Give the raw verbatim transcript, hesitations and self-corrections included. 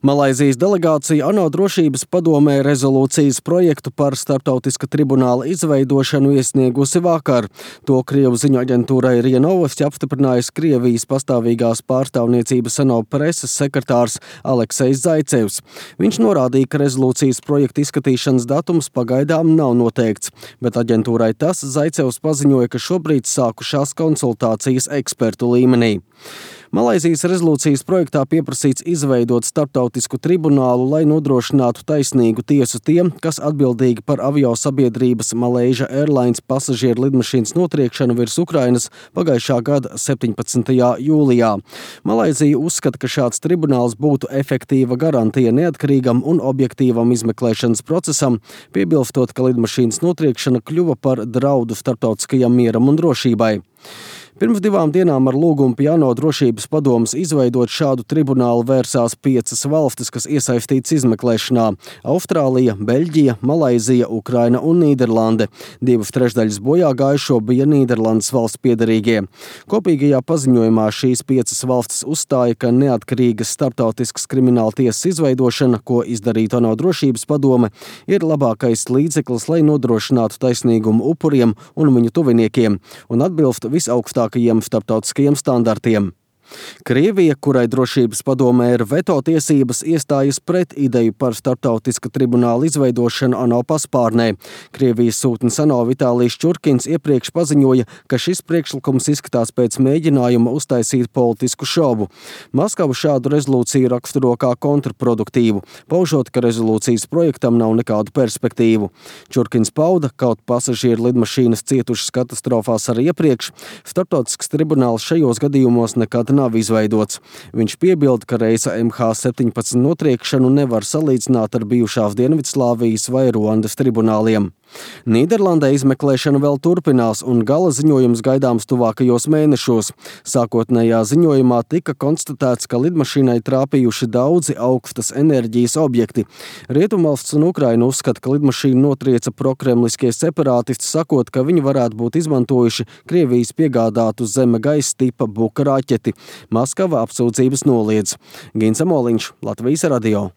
Malaizijas delegācija ANO drošības padomē rezolūcijas projektu par starptautiska tribunāla izveidošanu iesniegusi vakar. To Krievu ziņu aģentūrai RIA Novosti apstiprinājis Krievijas pastāvīgās pārstāvniecības ANO preses sekretārs Aleksejs Zaicevs. Viņš norādīja, ka rezolūcijas projekta izskatīšanas datums pagaidām nav noteikts, bet aģentūrai tas Zaicevs paziņoja, ka šobrīd sākušās konsultācijas ekspertu līmenī. Malaizijas rezolūcijas projektā pieprasīts izveidot starptautisku tribunālu, lai nodrošinātu taisnīgu tiesu tiem, kas atbildīgi par avio sabiedrības Malaysia Airlines pasažieru lidmašīnas notriekšanu virs Ukrainas pagājušā gada septiņpadsmitajā jūlijā. Malaizija uzskata, ka šāds tribunāls būtu efektīva garantija neatkarīgam un objektīvam izmeklēšanas procesam, piebilstot, ka lidmašīnas notriekšana kļuva par draudu starptautiskajam mieram un drošībai. Pirms divām dienām ar lūgumu pie ANO drošības padomes izveidot šādu tribunālu vērsās piecas valstis, kas iesaistītas izmeklēšanā – Austrālija, Beļģija, Malaizija, Ukraina un Nīderlande. Divas trešdaļas bojā gājušo bija Nīderlandes valsts piederīgie. Kopīgajā paziņojumā šīs piecas valstis uzstāja, ka neatkarīgas starptautiskas krimināltiesas izveidošana, ko izdarītu ANO drošības padome, ir labākais līdzeklis, lai nodrošinātu taisnīgumu upuriem un viņu tuviniekiem un atbilst visaugstākajiem starptautiskajiem standartiem. Krievija, kurai drošības padomē ir veto tiesības, iestājas pret ideju par starptautiska tribunāla izveidošanu ANO paspārnē. Krievijas sūtnis ANO Vitālijs Čurkins iepriekš paziņoja, ka šis priekšlikums izskatās pēc mēģinājuma uztaisīt politisku šovu. Maskava šādu rezolūciju raksturo kā kontraproduktīvu, paužot, ka rezolūcijas projektam nav nekādu perspektīvu. Čurkins pauda, kaut pasažieru lidmašīnas cietušas katastrofās arī iepriekš, starptautisks tribunāls šajos gadījumos nekad nav izveidots. Viņš piebilda, ka reisa M H septiņpadsmit notriekšanu nevar salīdzināt ar bijušās Dienvidslāvijas vai Ruandas tribunāliem. Nīderlandē izmeklēšana vēl turpinās un gala ziņojums gaidāms tuvākajos mēnešos. Sākotnējā ziņojumā tika konstatēts, ka lidmašīnai trāpījuši daudzi augstas enerģijas objekti. Rietumvalsts un Ukraina uzskata, ka lidmašīnu notrieca prokremliskie separātisti, sakot, ka viņi varētu būt izmantojuši Krievijas piegādātu zeme gaisa tipa Buka raķeti. Maskava apsūdzības noliedz. Gins Amoliņš, Latvijas radio.